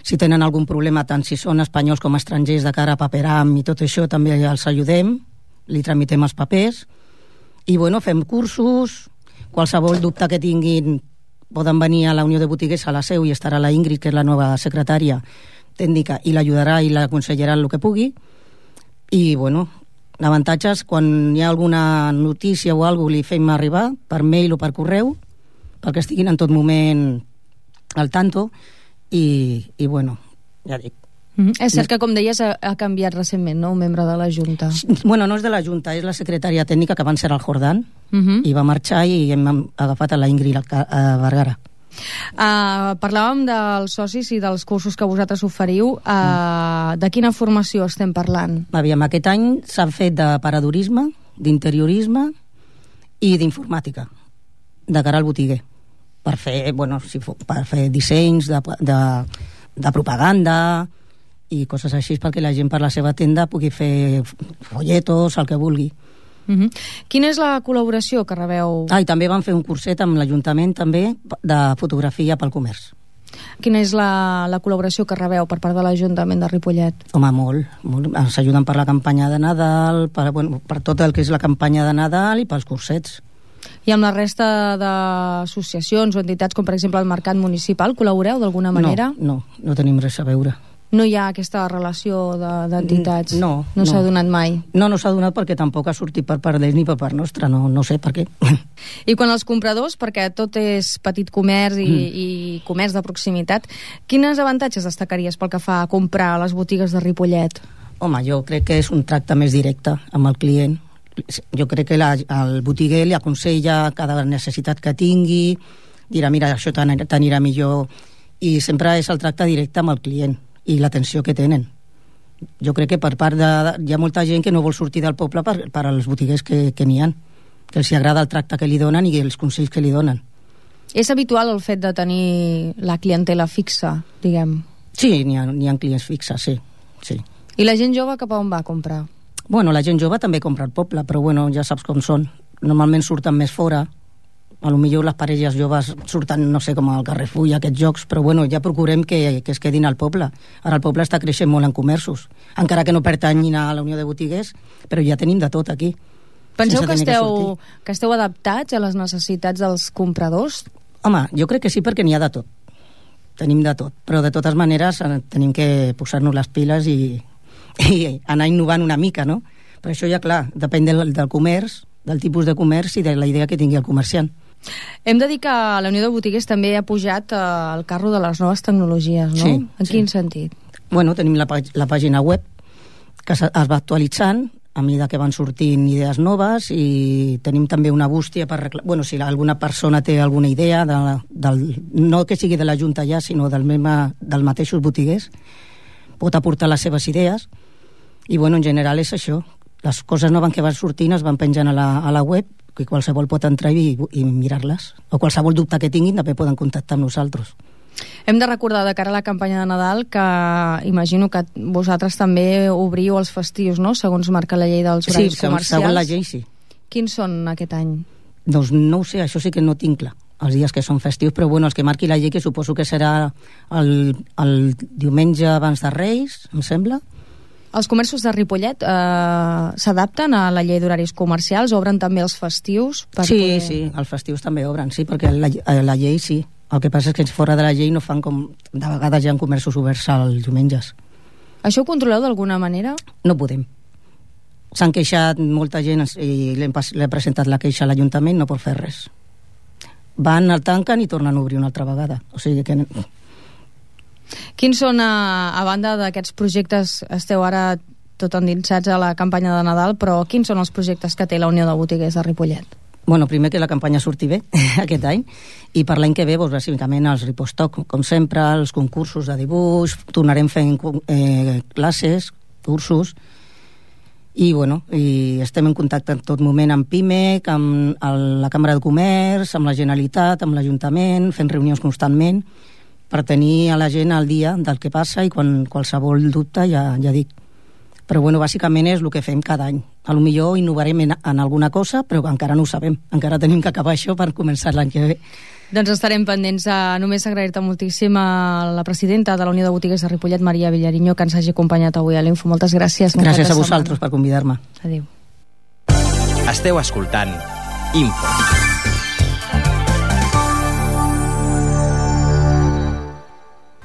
Si tenen algun problema, tant si són espanyols com estrangers, de cara a paperam i tot això, també els ajudem, li tramitem els papers. I bueno, fem cursos, qualsevol dubte que tinguin poden venir a la Unió de Botiguers a la seu i estarà la Ingrid, que és la nova secretària tècnica, i l'ajudarà i l'aconsellarà el que pugui. I, bueno, l'avantatge és quan hi ha alguna notícia o alguna cosa li fem arribar per mail o per correu perquè estiguin en tot moment al tanto i, i bueno, ja dic. Mm-hmm. És cert que, com deies, ha, ha canviat recentment, no?, un membre de la Junta. Bueno, no és de la Junta, és la secretària tècnica, que abans era el Jordan, mm-hmm. i va marxar i hem agafat a la Ingrid a Vergara. Uh, parlàvem dels socis i dels cursos que vosaltres oferiu. Uh, mm. De quina formació estem parlant? Aviam, aquest any s'han fet de paradorisme, d'interiorisme i d'informàtica, de cara al botiguer, per fer, bueno, si fos, per fer dissenys de, de, de propaganda i coses així, perquè la gent per la seva tenda pugui fer folletos, el que vulgui. Uh-huh. Quina és la col·laboració que rebeu? Ah, i també vam fer un curset amb l'Ajuntament també de fotografia pel comerç. Quina és la, la col·laboració que rebeu per part de l'Ajuntament de Ripollet? Home, molt, molt. Ens ajuden per la campanya de Nadal, per, bueno, per tot el que és la campanya de Nadal i pels cursets. I amb la resta d'associacions o entitats, com per exemple el Mercat Municipal, col·laboreu d'alguna manera? No, no, no tenim res a veure. No hi ha aquesta relació d'entitats? De, no. No, no s'ha donat mai? No, no s'ha donat perquè tampoc ha sortit per part d'ells ni per part nostra, no, no sé per què. I quan els compradors, perquè tot és petit comerç i, mm. i comerç de proximitat, quines avantatges destacaries pel que fa a comprar a les botigues de Ripollet? Home, jo crec que és un tracte més directe amb el client. Jo crec que la, el botiguer li aconsella cada necessitat que tingui, dirà, mira, això t'anirà millor, i sempre és el tracte directe amb el client i l'atenció que tenen. Jo crec que per part de... Hi ha molta gent que no vol sortir del poble per, per als botiguers que, que n'hi ha, que els agrada el tracte que li donen i els consells que li donen. És habitual el fet de tenir la clientela fixa, diguem? Sí, n'hi ha, n'hi ha clients fixes, sí, sí. I la gent jove cap a on va a comprar? Bueno, la gent jove també compra al poble, però bueno, ja saps com són. Normalment surten més fora. A lo millor les parelles joves surten, no sé, com al Carrefour i aquests jocs, però bueno, ja procurem que, que es quedin al poble. Ara el poble està creixent molt en comerços, encara que no pertanyin a la Unió de Botiguers, però ja tenim de tot aquí. Penseu que esteu, que, que esteu adaptats a les necessitats dels compradors? Home, jo crec que sí, perquè n'hi ha de tot. Tenim de tot, però de totes maneres tenim que posar-nos les piles i, i anar innovant una mica, no? Per això ja, clar, depèn del, del comerç, del tipus de comerç i de la idea que tingui el comerciant. Hem de dir que la Unió de Botiguers també ha pujat eh, el carro de les noves tecnologies, no? Sí, en sí. Quin sentit? Bueno, tenim la, la pàgina web que es va actualitzant a mesura que van sortint idees noves, i tenim també una bústia per... Bueno, si alguna persona té alguna idea, de, del, no que sigui de la Junta ja, sinó del, mema, del mateixos botiguers, pot aportar les seves idees, i bueno, en general és això. Les coses noves que van sortint es van penjant a la, a la web, que qualsevol pot entrar i, i mirar-les, o qualsevol dubte que tinguin també poden contactar amb nosaltres. Hem de recordar de cara a la campanya de Nadal que imagino que vosaltres també obriu els festius, no?, segons marca la llei dels horaris sí, comercials. Sí, segons la llei, sí. Quins són aquest any? Doncs no ho sé, això sí que no tinc clar, els dies que són festius, però bueno, els que marqui la llei, que suposo que serà el, el diumenge abans de Reis, em sembla. Els comerços de Ripollet eh, s'adapten a la llei d'horaris comercials? Obren també els festius? Per sí, poder... sí, els festius també obren, sí, perquè la, la llei sí. El que passa és que fora de la llei no fan com... De vegades hi ha comerços oberts als diumenges. Això ho controleu d'alguna manera? No podem. S'han queixat molta gent i l'he presentat la queixa a l'Ajuntament, no pot fer res. Van, el tanquen i tornen a obrir una altra vegada. O sigui que... Quins són, a, a banda d'aquests projectes, esteu ara tot endinsats a la campanya de Nadal, però quins són els projectes que té la Unió de Botiguers de Ripollet? Bueno, primer que la campanya surti bé aquest any, i per l'any que ve, doncs, bàsicament els Ripostoc, com sempre, els concursos de dibuix, tornarem fent eh, classes, cursos, i bueno, i estem en contacte en tot moment amb PIMEC, amb el, la Cambra de Comerç, amb la Generalitat, amb l'Ajuntament, fent reunions constantment, per tenir a la gent al dia del que passa, i quan qualsevol dubte ja, ja dic. Però bueno, bàsicament és el que fem cada any. A lo millor innovarem en, en alguna cosa, però encara no ho sabem. Encara tenim que acabar això per començar l'any que ve. Doncs estarem pendents. A només agrair-te moltíssim a la presidenta de la Unió de Botiguers de Ripollet, Maria Villariño, que ens hagi acompanyat avui a l'Info. Moltes gràcies. Gràcies a vosaltres per convidar-me. Adéu. Esteu escoltant Info.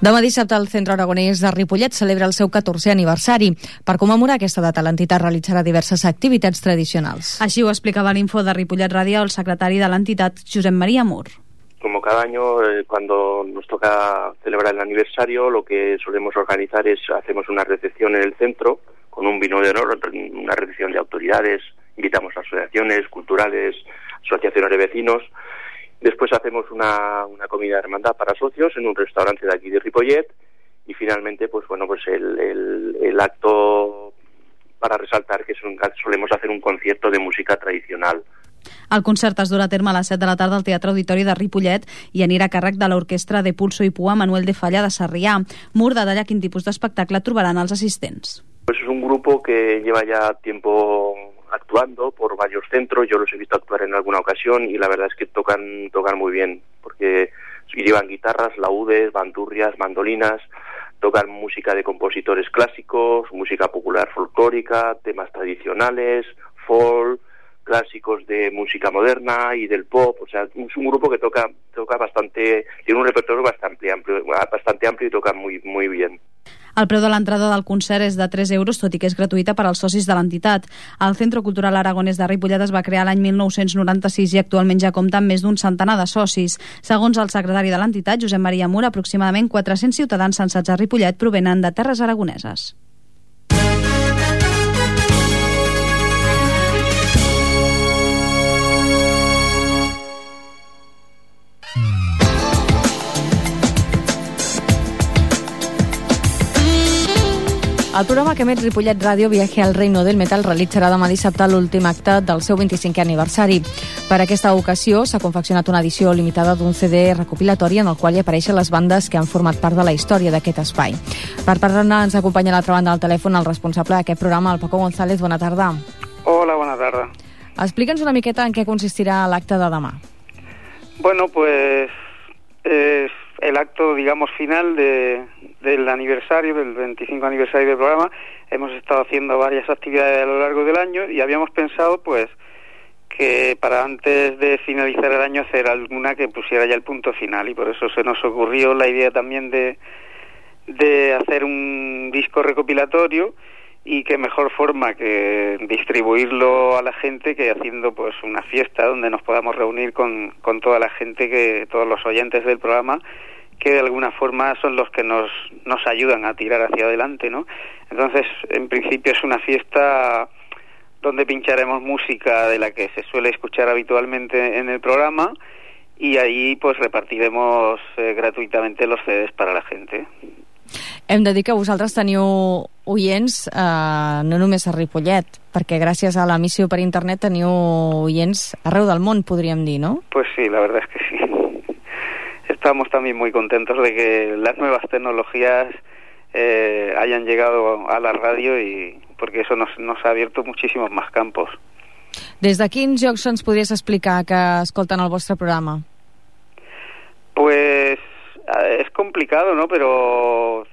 Demà dissabte el Centre Aragonès de Ripollet celebra el seu catorzè aniversari. Per commemorar aquesta data, l'entitat realitzarà diverses activitats tradicionals. Així ho explicava a l'Info de Ripollet Ràdio el secretari de l'entitat, Josep María Mur. Como cada año, eh, cuando nos toca celebrar el aniversario, lo que solemos organizar es, hacemos una recepción en el centro, con un vino de honor, una recepción de autoridades, invitamos a asociaciones culturales, asociaciones de vecinos. Después hacemos una, una comida de hermandad para socios en un restaurante de aquí de Ripollet y finalmente, pues bueno, pues el, el, el acto para resaltar que es un, solemos hacer un concierto de música tradicional. El concert es durà a terme a les set de la tarda al Teatre Auditori de Ripollet i anirà a càrrec de l'Orquestra de Pulso i Pua Manuel de Falla de Sarrià. Mur detalla quin tipus d'espectacle trobaran els assistents. Pues es un grupo que lleva ya tiempo actuando por varios centros, yo los he visto actuar en alguna ocasión y la verdad es que tocan tocan muy bien, porque llevan guitarras, laúdes, bandurrias, mandolinas, tocan música de compositores clásicos, música popular folclórica, temas tradicionales, folk, clásicos de música moderna y del pop, o sea, es un grupo que toca toca bastante, tiene un repertorio bastante amplio, bastante amplio y toca muy muy bien. El preu de l'entrada del concert és de tres euros, tot i que és gratuïta per als socis de l'entitat. El Centre Cultural Aragonès de Ripollet es va crear l'any mil nou-cents noranta-sis i actualment ja compta amb més d'un centenar de socis. Segons el secretari de l'entitat, Josep María Mur, aproximadament quatre-cents ciutadans censats a Ripollet provenen de terres aragoneses. El programa que emet Ripollet Ràdio, Viaje al Reino del Metal, realitzarà demà dissabte l'últim acte del seu vint-i-cinquè aniversari. Per aquesta ocasió s'ha confeccionat una edició limitada d'un C D recopilatori en el qual hi apareixen les bandes que han format part de la història d'aquest espai. Per parlar-ne ens acompanya a l'altra banda del telèfon el responsable d'aquest programa, el Paco González. Bona tarda. Hola, bona tarda. Explica'ns una miqueta en què consistirà l'acte de demà. Bueno, pues es el acto, digamos, final de... del aniversario, del veinticinco aniversario del programa. Hemos estado haciendo varias actividades a lo largo del año y habíamos pensado pues que para antes de finalizar el año hacer alguna que pusiera ya el punto final, y por eso se nos ocurrió la idea también de de hacer un disco recopilatorio, y qué mejor forma que distribuirlo a la gente que haciendo pues una fiesta donde nos podamos reunir con, con toda la gente, que todos los oyentes del programa, que de alguna forma son los que nos nos ayudan a tirar hacia adelante, ¿no? Entonces, en principio es una fiesta donde pincharemos música de la que se suele escuchar habitualmente en el programa, y ahí pues repartiremos eh, gratuitamente los C Ds para la gente. Hem de dir que vosaltres teniu oients eh, no només a Ripollet, perquè gràcies a l'emissió per internet teniu oients arreu del món, podríem dir, ¿no? Pues sí, la verdad es que sí. Estamos también muy contentos de que las nuevas tecnologías eh, hayan llegado a la radio, y porque eso nos, nos ha abierto muchísimos más campos. Des de quins llocs ens podries explicar que escolten el vostre programa? Pues es complicado, ¿no? Pero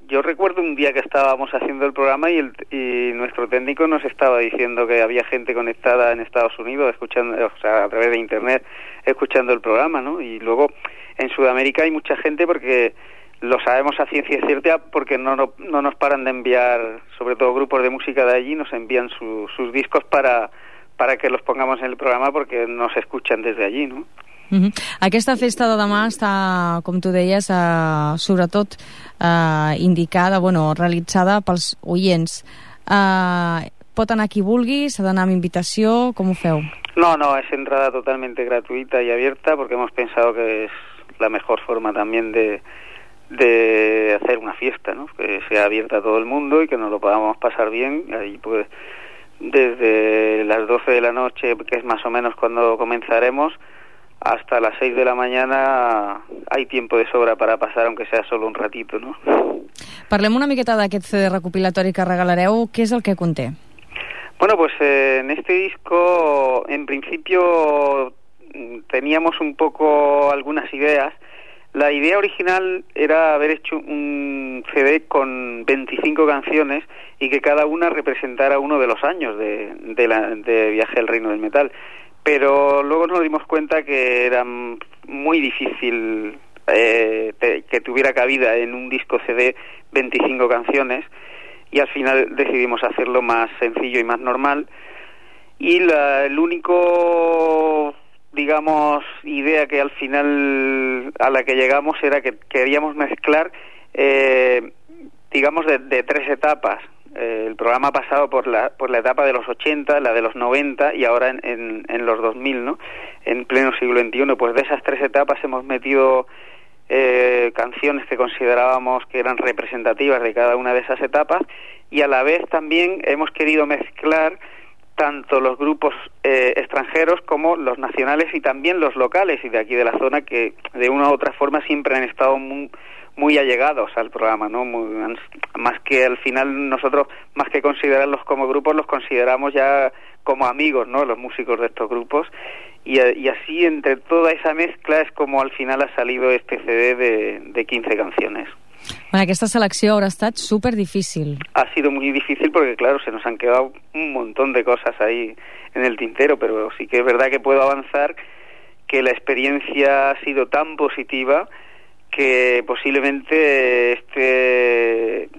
yo recuerdo un día que estábamos haciendo el programa y, el, y nuestro técnico nos estaba diciendo que había gente conectada en Estados Unidos, escuchando, o sea, a través de internet, escuchando el programa, ¿no? Y luego en Sudamérica hay mucha gente, porque lo sabemos a ciencia cierta, porque no, no, no nos paran de enviar, sobre todo grupos de música de allí, nos envían su, sus discos para, para que los pongamos en el programa, porque nos escuchan desde allí, ¿no? Uh-huh. Aquesta festa de demà està, com tu deies, eh, sobretot eh, indicada, bueno, realitzada pels oients. Eh, pot anar qui vulgui, s'ha d'anar amb invitació, com ho feu? No, no, es entrada totalmente gratuita y abierta, porque hemos pensado que es la mejor forma también de, de hacer una fiesta, ¿no? Que sea abierta a todo el mundo y que nos lo podamos pasar bien. Ahí pues desde las doce de la noche, que es más o menos cuando comenzaremos, hasta las seis de la mañana hay tiempo de sobra para pasar, aunque sea solo un ratito, ¿no? Parlem una miqueta d'aquest C D recopilatori que regalareu. Què és el que conté? Bueno, pues eh, en este disco, en principio, teníamos un poco algunas ideas. La idea original era haber hecho un C D con veinticinco canciones y que cada una representara uno de los años de, de, la, de Viaje al Reino del Metal. Pero luego nos dimos cuenta que era muy difícil eh, te, que tuviera cabida en un disco C D veinticinco canciones, y al final decidimos hacerlo más sencillo y más normal. Y la, el único, digamos, idea que al final a la que llegamos era que queríamos mezclar, eh, digamos, de, de tres etapas. Eh, el programa ha pasado por la, por la etapa de los ochenta, la de los noventa y ahora en, en, en los dos mil, ¿no? En pleno siglo veintiuno. Pues de esas tres etapas hemos metido eh, canciones que considerábamos que eran representativas de cada una de esas etapas, y a la vez también hemos querido mezclar tanto los grupos eh, extranjeros como los nacionales y también los locales y de aquí de la zona, que de una u otra forma siempre han estado muy, muy allegados al programa, ¿no? Muy, más que al final nosotros, más que considerarlos como grupos, los consideramos ya como amigos, ¿no? Los músicos de estos grupos, y, y así entre toda esa mezcla es como al final ha salido este C D de, de quince canciones. Bueno, aquesta selecció haurà estat super difícil. Ha sido muy difícil porque, claro, se nos han quedado un montón de cosas ahí en el tintero, pero sí que es verdad que puedo avanzar que la experiencia ha sido tan positiva que posiblemente este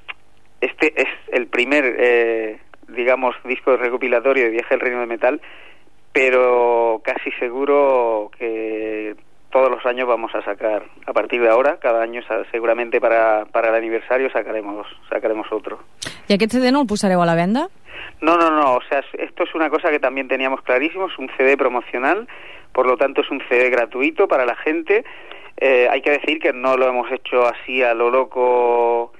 este es el primer, eh, digamos, disco recopilatorio de Viaje al Reino del Metal, pero casi seguro que todos los años vamos a sacar, a partir de ahora, cada año seguramente para, para el aniversario sacaremos sacaremos otro. I aquest C D no el posareu a la venda? No, no, no, o sea, esto es una cosa que también teníamos clarísimo, es un C D promocional, por lo tanto es un C D gratuito para la gente. Eh, hay que decir que no lo hemos hecho así a lo loco,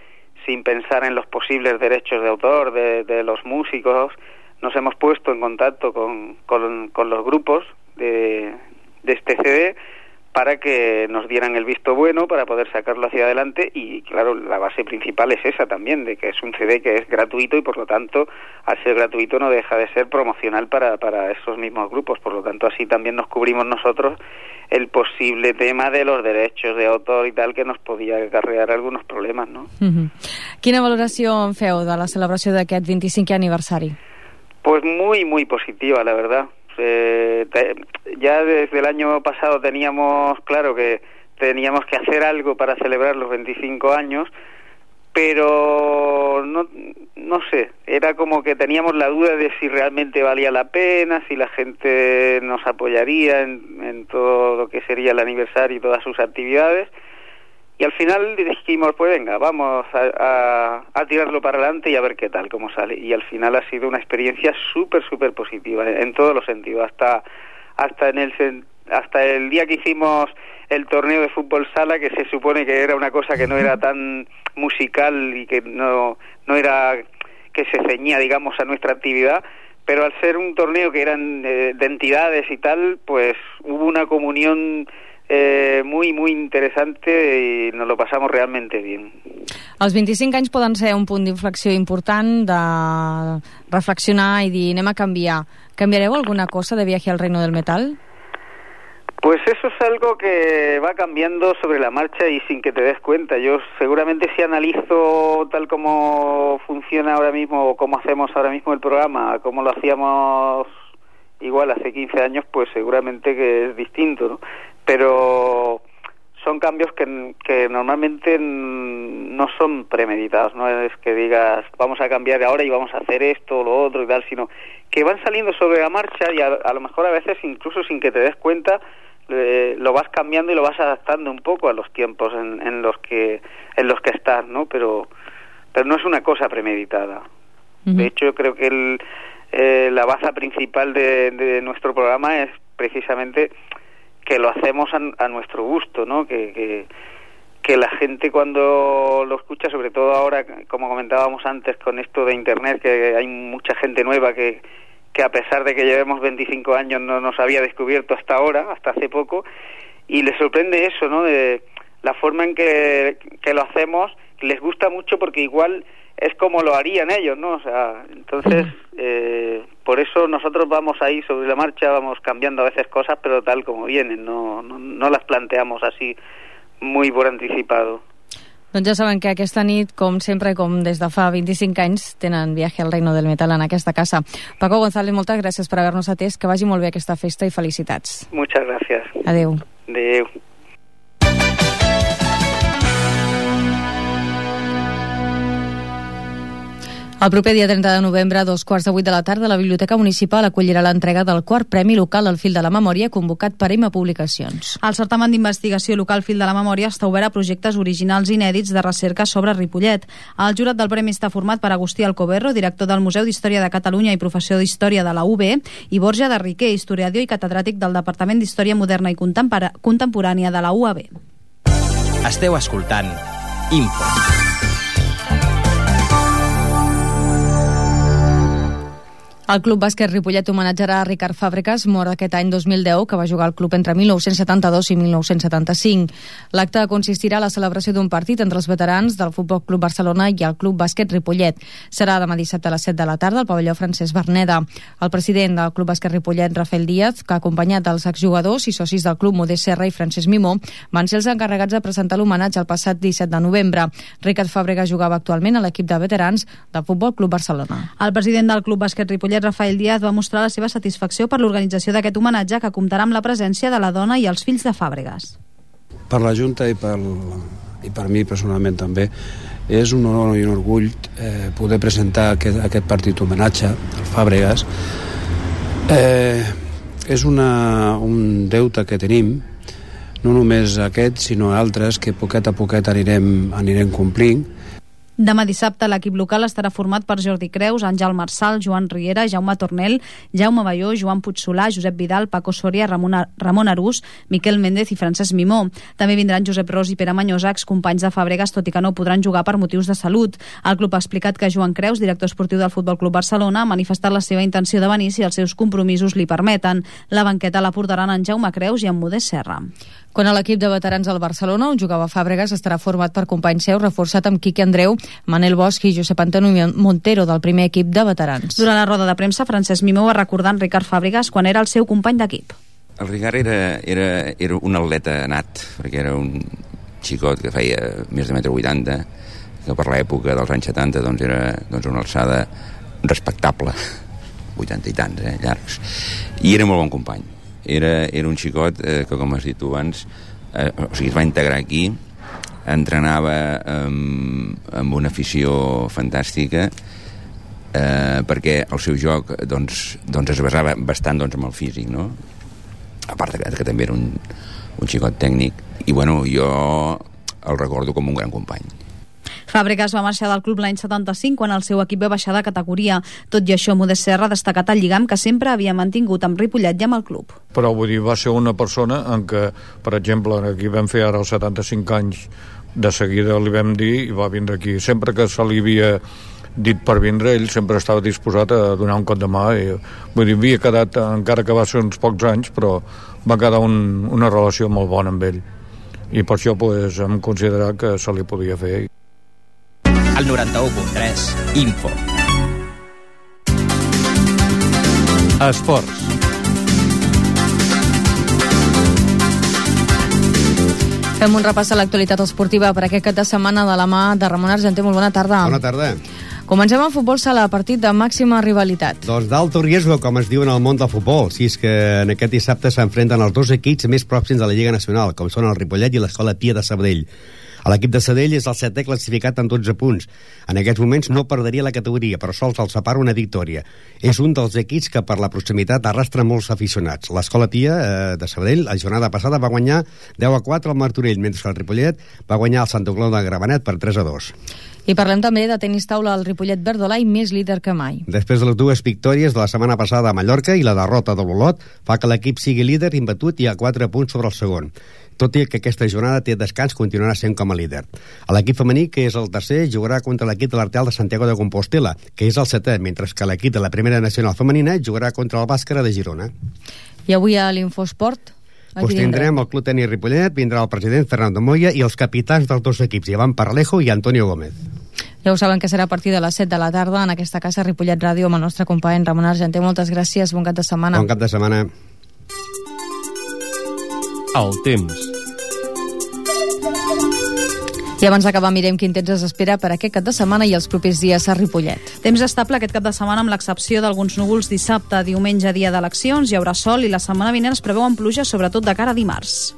sin pensar en los posibles derechos de autor de, de los músicos. Nos hemos puesto en contacto con, con, con los grupos de, de este C D para que nos dieran el visto bueno para poder sacarlo hacia adelante, y claro, la base principal es esa también, de que es un C D que es gratuito y por lo tanto, al ser gratuito no deja de ser promocional para, para esos mismos grupos, por lo tanto así también nos cubrimos nosotros el posible tema de los derechos de autor y tal, que nos podía acarrear algunos problemas, ¿no? Uh-huh. Quina valoració en feu de la celebració d'aquest vint-i-cinquè aniversari? Pues muy, muy positiva, la verdad. Eh, te, ya desde el año pasado teníamos claro que teníamos que hacer algo para celebrar los veinticinco años, pero no, no sé, era como que teníamos la duda de si realmente valía la pena, si la gente nos apoyaría en, en todo lo que sería el aniversario y todas sus actividades. Y al final dijimos, pues venga, vamos a, a, a tirarlo para adelante y a ver qué tal, cómo sale. Y al final ha sido una experiencia súper, súper positiva, en, en todos los sentidos. Hasta hasta en el hasta el día que hicimos el torneo de fútbol sala, que se supone que era una cosa que no era tan musical y que no, no era que se ceñía, digamos, a nuestra actividad, pero al ser un torneo que eran eh, de entidades y tal, pues hubo una comunión Eh, muy, muy interessante i nos lo pasamos realmente bien. Els vint-i-cinc anys poden ser un punt d'inflexió important de reflexionar i dir anem a canviar. ¿Cambiareu alguna cosa de Viaje al Reino del Metal? Pues eso es algo que va cambiando sobre la marcha y sin que te des cuenta. Yo seguramente si analizo tal como funciona ahora mismo o cómo hacemos ahora mismo el programa, cómo lo hacíamos igual hace quince años, pues seguramente que es distinto, ¿no? Pero son cambios que, que normalmente no son premeditados, no es que digas vamos a cambiar ahora y vamos a hacer esto o lo otro y tal, sino que van saliendo sobre la marcha y a, a lo mejor a veces incluso sin que te des cuenta eh, lo vas cambiando y lo vas adaptando un poco a los tiempos en, en los que en los que estás, ¿no? Pero pero no es una cosa premeditada. Uh-huh. De hecho, creo que el, eh, la baza principal de, de nuestro programa es precisamente que lo hacemos a, a nuestro gusto, ¿no? Que, que, que la gente cuando lo escucha, sobre todo ahora, como comentábamos antes, con esto de Internet, que hay mucha gente nueva que, que a pesar de que llevemos veinticinco años no nos había descubierto hasta ahora, hasta hace poco, y les sorprende eso, ¿no? De la forma en que, que lo hacemos, les gusta mucho porque igual es como lo harían ellos, ¿no? O sea, entonces, eh, por eso nosotros vamos ahí sobre la marcha, vamos cambiando a veces cosas, pero tal como vienen, no, no, no las planteamos así muy por anticipado. Doncs ja saben que aquesta nit, com sempre, com des de fa vint-i-cinc anys, tenen Viaje al Reino del Metal en aquesta casa. Paco González, moltes gràcies per haver-nos atès, que vagi molt bé aquesta festa i felicitats. Muchas gracias. Adeu. Adeu. El proper dia trenta de novembre, a dos quarts de vuit de la tarda, la Biblioteca Municipal acollirà l'entrega del quart Premi Local al Fil de la Memòria, convocat per Ima Publicacions. El certamen d'investigació local Fil de la Memòria està obert a projectes originals inèdits de recerca sobre Ripollet. El jurat del premi està format per Agustí Alcoberro, director del Museu d'Història de Catalunya i professor d'Història de la U B, i Borja de Riquer, historiador i catedràtic del Departament d'Història Moderna i Contemporània de la U A B. Esteu escoltant Info. El Club Bàsquet Ripollet homenatjarà a Ricard Fàbregas, mort aquest any dos mil deu, que va jugar al club entre mil nou-cents setanta-dos i mil nou-cents setanta-cinc. L'acte consistirà a la celebració d'un partit entre els veterans del Futbol Club Barcelona i el Club Bàsquet Ripollet. Serà demà dissabte a les set de la tarda al pavelló Francesc Verneda. El president del Club Bàsquet Ripollet, Rafael Díaz, que acompanyat dels exjugadors i socis del club Modest Serra i Francesc Mimó, van ser els encarregats de presentar l'homenatge el passat disset de novembre. Ricard Fàbregas jugava actualment a l'equip de veterans del Futbol Club Barcelona. El president del Club Bàsquet Ripollet, Rafael Díaz, va mostrar la seva satisfacció per l'organització d'aquest homenatge, que comptarà amb la presència de la dona i els fills de Fàbregas. Per la Junta i per, i per mi personalment també és un honor i un orgull eh, poder presentar aquest, aquest partit homenatge al Fàbregas. Eh, és una, un deute que tenim, no només aquest sinó altres que poquet a poquet anirem, anirem complint. Demà dissabte l'equip local estarà format per Jordi Creus, Àngel Marçal, Joan Riera, Jaume Tornel, Jaume Balló, Joan Puigsolà, Josep Vidal, Paco Soria, Ramon, Ramon Arús, Miquel Méndez i Francesc Mimó. També vindran Josep Ros i Pere Manyosa, excompanys de Fàbregas, tot i que no podran jugar per motius de salut. El club ha explicat que Joan Creus, director esportiu del Futbol Club Barcelona, ha manifestat la seva intenció de venir si els seus compromisos li permeten. La banqueta la portaran en Jaume Creus i en Modest Serra. Quan a l'equip de veterans del Barcelona, on jugava Fàbregas, estarà format per companys seus, reforçat amb Quique Andreu, Manel Bosch i Josep Antonio Montero, del primer equip de veterans. Durant la roda de premsa, Francesc Mimó va recordar en Ricard Fàbregas quan era el seu company d'equip. El Ricard era, era, era un atleta nat, perquè era un xicot que feia més de metre vuitanta, que per l'època dels anys setanta doncs era doncs una alçada respectable, vuitanta i tants, eh, llargs, i era molt bon company. Era, era un xicot eh, que, com has dit tu abans, eh, o sigui, es va integrar aquí, entrenava amb, amb una afició fantàstica, eh, perquè el seu joc doncs, doncs es basava bastant doncs, amb el físic, no? A part que, que també era un, un xicot tècnic, i bueno, jo el recordo com un gran company. Fàbregas va marxar del club l'any setanta-cinc quan el seu equip va baixar de categoria. Tot i això, Modest Serra ha destacat el lligam que sempre havia mantingut amb Ripollet i amb el club. Però vull dir, va ser una persona en què, per exemple, aquí vam fer ara els setanta-cinc anys, de seguida li vam dir i va vindre aquí. Sempre que se li havia dit per vindre, ell sempre estava disposat a donar un cop de mà. I, vull dir, havia quedat, encara que va ser uns pocs anys, però va quedar un, una relació molt bona amb ell. I per això pues, hem considerat que se li podia fer. Al noranta-u punt tres, Info. Esports. Fem un repàs a l'actualitat esportiva per aquest cap de setmana de la mà de Ramon Argenter. Molt bona tarda. Bona tarda. Comencem amb futbol sala, partit de màxima rivalitat. Doncs d'alto riesgo, com es diu en el món del futbol. Si és que en aquest dissabte s'enfrenten els dos equips més pròxims de la Lliga Nacional, com són el Ripollet i l'Escola Pia de Sabadell. L'equip de Sabadell és el setè classificat amb dotze punts. En aquests moments no perdria la categoria, però sols el separa una victòria. És un dels equips que per la proximitat arrastra molts aficionats. L'Escola Pia eh, de Sabadell, la jornada passada, va guanyar deu a quatre al Martorell, mentre que el Ripollet va guanyar el Santa Clau de Gramenet per tres a dos. I parlem també de tenis taula al Ripollet Verdolai, més líder que mai. Després de les dues victòries de la setmana passada a Mallorca i la derrota de l'Olot, fa que l'equip sigui líder imbatut i a quatre punts sobre el segon. Tot i que aquesta jornada té descans, continuarà sent com a líder. L'equip femení, que és el tercer, jugarà contra l'equip de l'Arteal de Santiago de Compostela, que és el setè, mentre que l'equip de la Primera Nacional Femenina jugarà contra el Bàscara de Girona. I avui a l'Infosport? Pues tindrem el Club Tenis Ripollet, vindrà el president Fernando Moya i els capitans dels dos equips, Iván Paralejo i Antonio Gómez. Ja ho saben que serà a partir de les set de la tarda en aquesta casa Ripollet Ràdio amb el nostre company Ramon Argenter. Moltes gràcies, bon cap de setmana. Bon cap de setmana. El temps. I abans d'acabar mirem quin temps es espera per aquest cap de setmana i els propers dies a Ripollet. Temps estable aquest cap de setmana amb l'excepció d'alguns núvols dissabte, diumenge, dia d'eleccions, hi haurà sol i la setmana vinent es preveuen pluges, sobretot de cara a dimarts.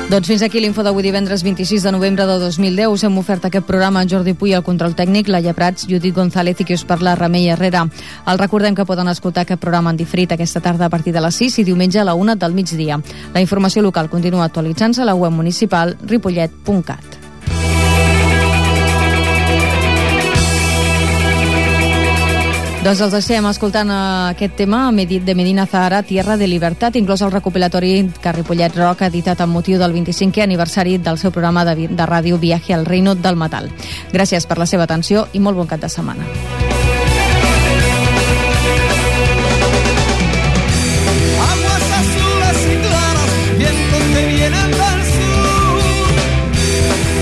Doncs fins aquí l'info d'avui divendres vint-i-sis de novembre de dos mil deu. Us hem ofert aquest programa en Jordi Puy, el control tècnic, Laia Prats, Judit González i qui us parla, Remei Herrera. El recordem que poden escoltar aquest programa en diferit aquesta tarda a partir de les sis i diumenge a la una del migdia. La informació local continua actualitzant-se a la web municipal ripollet punt cat. Doncs els deixem escoltant aquest tema de Medina Zahara, Tierra de Libertad, inclòs el recopilatori que Ripollet Rock ha editat amb motiu del vint-i-cinquè aniversari del seu programa de, de ràdio Viaje al Reino del Metal. Gràcies per la seva atenció i molt bon cap de setmana. Aguas azules y claras, vientos que vienen del sur,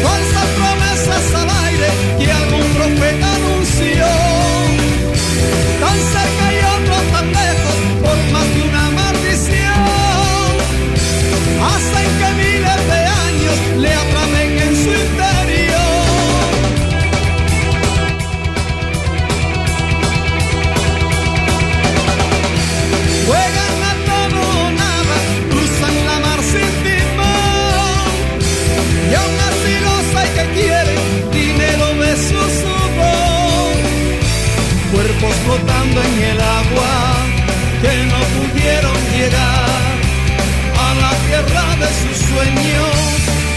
falsas promesas al aire que algún profeta anunció. Tan cerca y otro tan lejos, por más de una maldición, hacen que miles de años le atrapen en su interior. Juegan a todo o nada, cruzan la mar sin timón, y aún así los hay que quieren dinero de su sudor. Cuerpos flotando en el agua que no pudieron llegar a la tierra de sus sueños,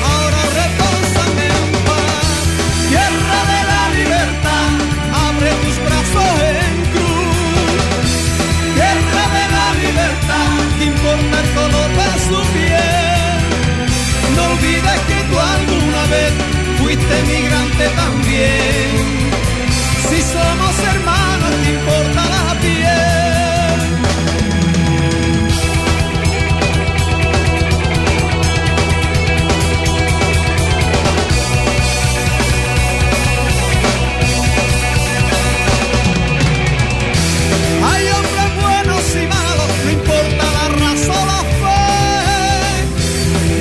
ahora reposan en paz. Tierra de la libertad, abre tus brazos en cruz. Tierra de la libertad, que importa el color de su piel. No olvides que tú alguna vez fuiste migrante también. Si somos hermanos, ¿qué importa la piel? Hay hombres buenos y malos, no importa la raza o la fe.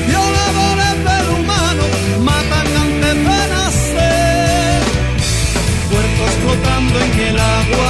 Violadores del humano, matan antes de nacer. Flotando en el agua